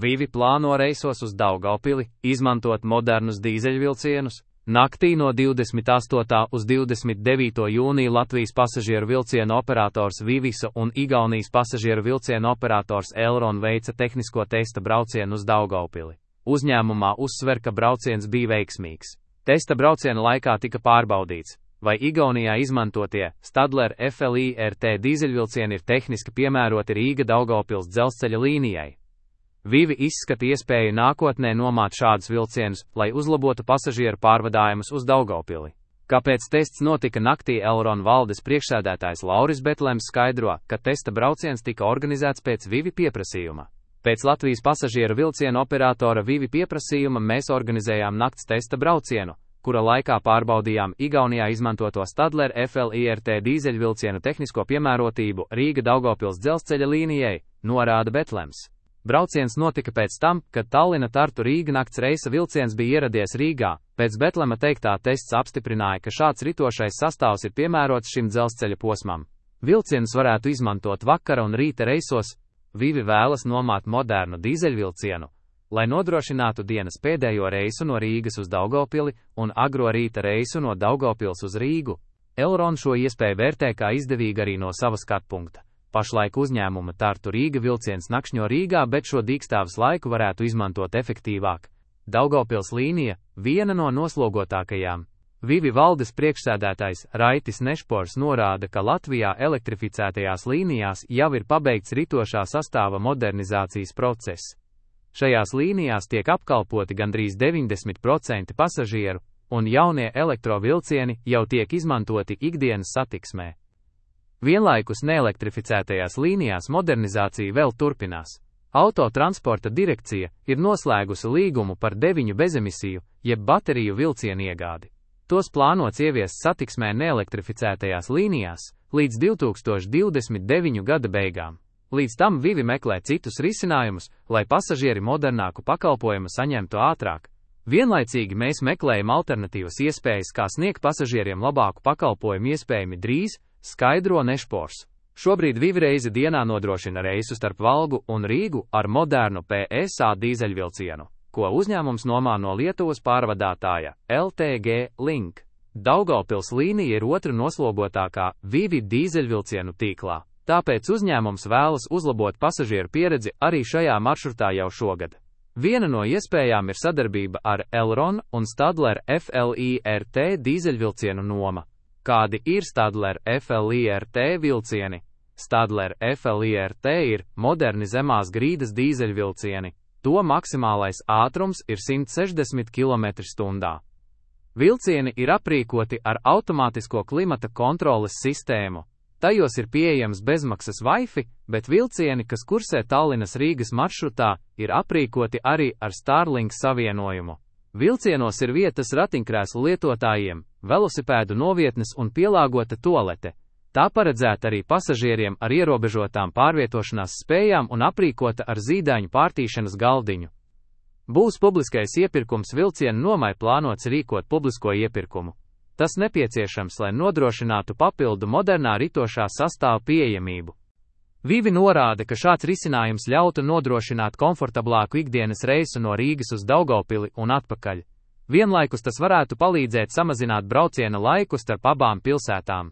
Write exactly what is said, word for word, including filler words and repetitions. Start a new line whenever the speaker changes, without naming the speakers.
Vivi plāno reisos uz Daugavpili izmantot modernus dīzeļvilcienus. Naktī no divdesmit astotā uz divdesmit devīto jūniju Latvijas pasažieru vilcienu operators Vivisa un Igaunijas pasažieru vilcienu operators Elron veica tehnisko testa braucienu uz Daugavpili. Uzņēmumā uzsver, ka brauciens bija veiksmīgs. Testa brauciena laikā tika pārbaudīts, vai Igaunijā izmantotie Stadler F L I R T dīzeļvilcieni ir tehniski piemēroti Rīga-Daugavpils dzelzceļa līnijai. Vivi izskata iespēju nākotnē nomāt šādus vilcienus, lai uzlabotu pasažieru pārvadājumus uz Daugavpili. Kāpēc tests notika naktī, Elron valdes priekšsēdētājs Lauris Betlems skaidro, ka testa brauciens tika organizēts pēc Vivi pieprasījuma. Pēc Latvijas pasažieru vilcienu operatora Vivi pieprasījuma mēs organizējām nakts testa braucienu, kura laikā pārbaudījām Igaunijā izmantoto Stadler F L I R T dīzeļvilcienu tehnisko piemērotību Rīga-Daugavpils dzelzceļa līnijai, norāda Betlems. Brauciens notika pēc tam, kad Tallina-Tartu-Rīga nakts reisa vilciens bija ieradies Rīgā. Pēc Betlema teiktā tests apstiprināja, ka šāds ritošais sastāvs ir piemērots šim dzelzceļa posmam. Vilcienus varētu izmantot vakara un rīta reisos. Vivi vēlas nomāt modernu dīzeļvilcienu, lai nodrošinātu dienas pēdējo reisu no Rīgas uz Daugavpili un agro rīta reisu no Daugavpils uz Rīgu. Elron šo iespēju vērtē kā izdevīgu arī no sava skatpunkta. Pašlaik uzņēmuma Tartu-Rīga vilciens nakšņo Rīgā, bet šo dīkstāves laiku varētu izmantot efektīvāk. Daugavpils līnija – viena no noslogotākajām. Vivi valdes priekšsēdētājs Raitis Nešpors norāda, ka Latvijā elektrificētajās līnijās jau ir pabeigts ritošā sastāva modernizācijas process. Šajās līnijās tiek apkalpoti gandrīz deviņdesmit procenti pasažieru, un jaunie elektrovilcieni jau tiek izmantoti ikdienas satiksmē. Vienlaikus neelektrificētajās līnijās modernizācija vēl turpinās. Autotransporta direkcija ir noslēgusi līgumu par deviņu bezemisiju, jeb bateriju vilcienu iegādi. Tos plānots ieviest satiksmē neelektrificētajās līnijās līdz divi tūkstoši divdesmit deviņu gada beigām. Līdz tam Vivi meklē citus risinājumus, lai pasažieri modernāku pakalpojumu saņemtu ātrāk. Vienlaicīgi mēs meklējam alternatīvas iespējas, kā sniegt pasažieriem labāku pakalpojumu iespējami drīz, skaidro Nešpors. Šobrīd Vivi reizi dienā nodrošina reisu starp Valgu un Rīgu ar modernu P S A dīzeļvilcienu, ko uzņēmums nomā no Lietuvas pārvadātāja L T G Link. Daugavpils līnija ir otra noslogotākā Vivi dīzeļvilcienu tīklā, tāpēc uzņēmums vēlas uzlabot pasažieru pieredzi arī šajā maršrutā jau šogad. Viena no iespējām ir sadarbība ar Elron un Stadler F L I R T dīzeļvilcienu noma. Kādi ir Stadler F L I R T vilcieni? Stadler F L I R T ir moderni zemās grīdas dīzeļvilcieni. To maksimālais ātrums ir simt sešdesmit kilometri stundā. Vilcieni ir aprīkoti ar automātisko klimata kontroles sistēmu. Tajos ir pieejams bezmaksas Wi-Fi, bet vilcieni, kas kursē Tallinas Rīgas maršrutā, ir aprīkoti arī ar Starlink savienojumu. Vilcienos ir vietas ratiņkrēslu lietotājiem, velosipēdu novietnes un pielāgota tualete. Tā paredzēta arī pasažieriem ar ierobežotām pārvietošanās spējām un aprīkota ar zīdaiņu pārtīšanas galdiņu. Būs publiskais iepirkums vilcienu nomai plānots rīkot publisko iepirkumu. Tas nepieciešams, lai nodrošinātu papildu modernā ritošā sastāva pieejamību. Vivi norāda, ka šāds risinājums ļautu nodrošināt komfortablāku ikdienas reisu no Rīgas uz Daugavpili un atpakaļ. Vienlaikus tas varētu palīdzēt samazināt brauciena laiku starp abām pilsētām.